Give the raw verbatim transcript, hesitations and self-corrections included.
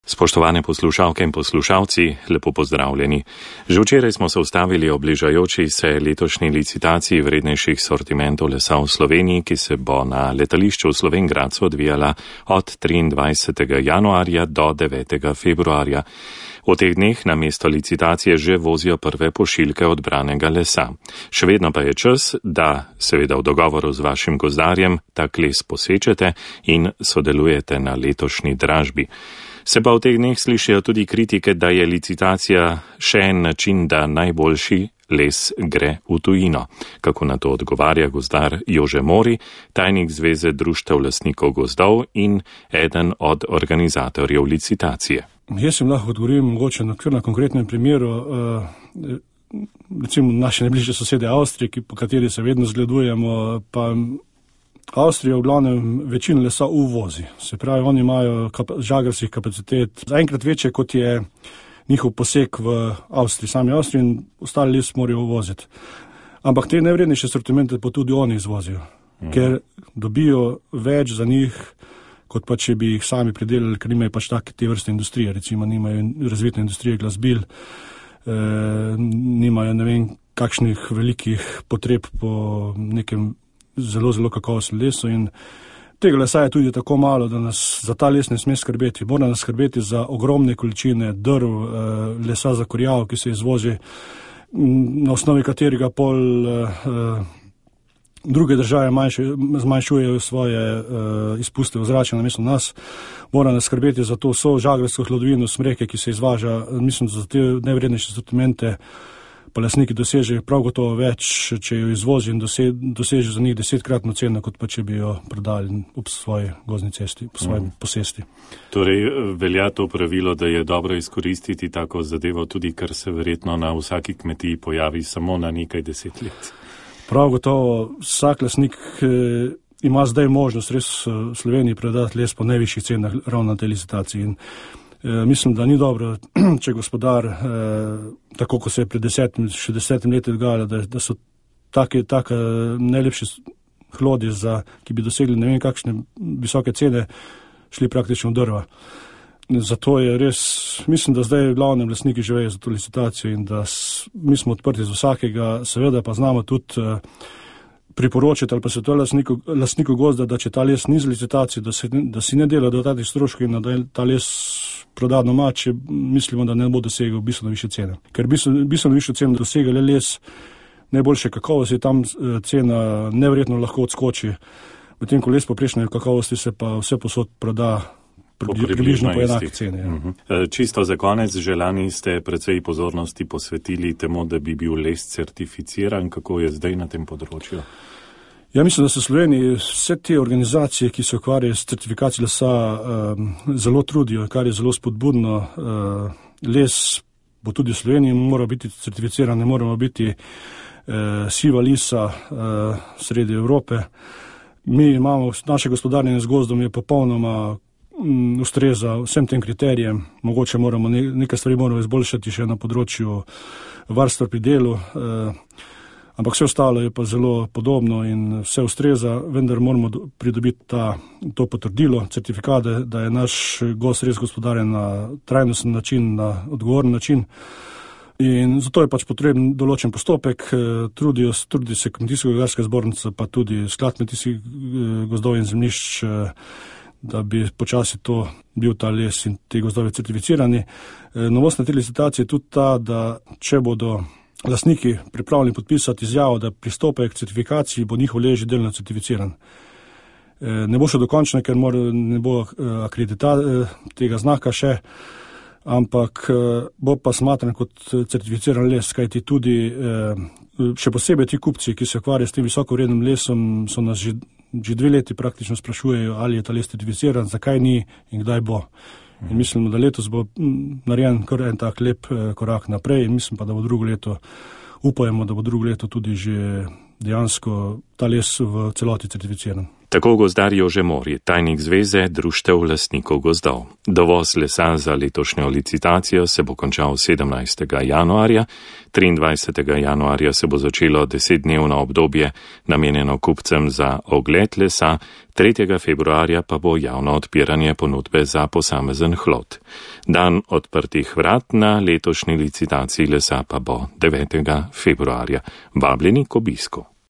Spoštovane poslušalke in poslušalci, lepo pozdravljeni. Že včeraj smo se ustavili ob bližajoči se letošnji licitaciji vrednejših sortimentov lesa v Sloveniji, ki se bo na letališču v Slovenj Gradcu odvijala od triindvajsetega januarja do devetega februarja. V teh dneh na mesto licitacije že vozijo prve pošiljke odbranega lesa. Še vedno pa je čas, da seveda v dogovoru z vašim gozdarjem tak les posečete in sodelujete na letošnji dražbi. Se pa v teh dneh slišijo tudi kritike, da je licitacija še en način, da najboljši les gre v tujino. Kako na to odgovarja gozdar Jože Mori, tajnik Zveze društev lastnikov gozdov in eden od organizatorjev licitacije. Jaz sem lahko odgovorim mogoče na, na konkretnem primeru, uh, recimo naše najbližje sosede Avstrije, po kateri se vedno zgledujemo, pa Avstrija v glavnem večino lesa uvozi. Se pravi, oni imajo kap- žagarskih kapacitet zaenkrat večje, kot je njihov poseg v Avstriji, sami Avstriji, in ostali les morajo uvoziti. Ampak te najvrednejše sortimente pa tudi oni izvozijo, mhm. ker dobijo več za njih, kot pa če bi jih sami pridelali, ker nimajo pač take te vrste industrije, recimo nimajo razvite industrije glasbil, e, nimajo ne vem kakšnih velikih potreb po nekem zelo, zelo kakovostnem lesu, in tega lesa je tudi tako malo, da nas za ta les ne sme skrbeti. Mora nas skrbeti za ogromne količine drv, lesa za kurjavo, ki se izvozi, na osnovi katerega pol druge države zmanjšujejo svoje izpuste v zrače namesto nas. Mora nas skrbeti za to vso žagarsko hlodovino smreke, ki se izvaža, mislim, za te najvrednejše sortimente, pa lastniki dosežejo prav gotovo več, če jo izvozi in dosežejo za njih desetkratno ceno, kot pa če bi jo prodali ob svoji gozdni cesti, po svojem mm. posesti. Torej, velja to pravilo, da je dobro izkoristiti tako zadevo tudi, kar se verjetno na vsaki kmetiji pojavi samo na nekaj deset let. Prav gotovo, vsak lastnik eh, ima zdaj možnost res v Sloveniji predati les po najvišjih cenah ravno na tej licitaciji. In mislim, da ni dobro, če gospodar, eh, tako kot se je pred desetim, še desetim leti dogajalo, da, da so take, take najlepše hlodi, za, ki bi dosegli ne vem kakšne visoke cene, šli praktično v drva. Zato je res, mislim, da zdaj glavnem lastniki živejo za to licitacijo in da s, mi smo odprti za vsakega, seveda pa znamo tudi eh, priporočiti ali pa se to lastniku, lastniku gozda, da če ta les ni za licitacijo, da, se, da si ne dela dodatnih stroškov in da ta les proda doma, če mislimo, da ne bo dosegel bistveno više cene. Ker bistveno, bistveno više cene dosega le les najboljše kakovosti, tam cena neverjetno lahko odskoči. Medtem ko les poprečne kakovosti se pa vse posod proda po približno po enaki ceni. Ja. Uh-huh. Čisto za konec, že lani ste precej pozornosti posvetili temu, da bi bil les certificiran. Kako je zdaj na tem področju? Ja, mislim, da se v Sloveniji vse te organizacije, ki se ukvarjajo s certifikacijo lesa, um, zelo trudijo, kar je zelo spodbudno. Uh, les bo tudi v Sloveniji mora biti certificiran, ne moramo biti uh, siva lisa uh, sredi Evrope. Mi imamo, naše gospodarjenje z gozdom je popolnoma um, ustreza vsem tem kriterijem. Mogoče moramo ne, nekaj stvari moramo izboljšati še na področju varstva pri delu. Uh, Ampak vse ostalo je pa zelo podobno in vse ustreza, vendar moramo pridobiti ta, to potrdilo, certifikate, da je naš gozd res gospodarjen na trajnosten način, na odgovoren način. In zato je pač potreben določen postopek, trudijo, trudi se Kmetijsko-gozdarska zbornica, pa tudi Sklad kmetijskih gozdov in zemljišč, da bi počasi to bil ta les in te gozdove certificirani. Novost na te licitacije je tudi ta, da če bodo lastniki pripravljeni podpisati izjavo, da pristopajo k certifikaciji, bo njihov les že delno certificiran. Ne bo še dokončno, ker mora, ne bo akredita tega znaka še, ampak bo pa smatran kot certificiran les, kajti tudi še posebej ti kupci, ki se ukvarjajo s tem visokovrednim lesom, so nas že, že dve leti praktično sprašujejo, ali je ta les certificiran, zakaj ni in kdaj bo. In mislimo, da letos bo narejen kar en tak lep korak naprej in mislim pa, da bo drugo leto, upajemo, da bo drugo leto tudi že dejansko ta les v celoti certificiran. Tako gozdar Jože Mori, tajnik Zveze društev lastnikov gozdov. Dovoz lesa za letošnjo licitacijo se bo končal sedemnajstega januarja, triindvajsetega januarja se bo začelo desetdnevno obdobje namenjeno kupcem za ogled lesa, tretjega februarja pa bo javno odpiranje ponudbe za posamezen hlod. Dan odprtih vrat na letošnji licitaciji lesa pa bo devetega februarja. Vabljeni k obisku.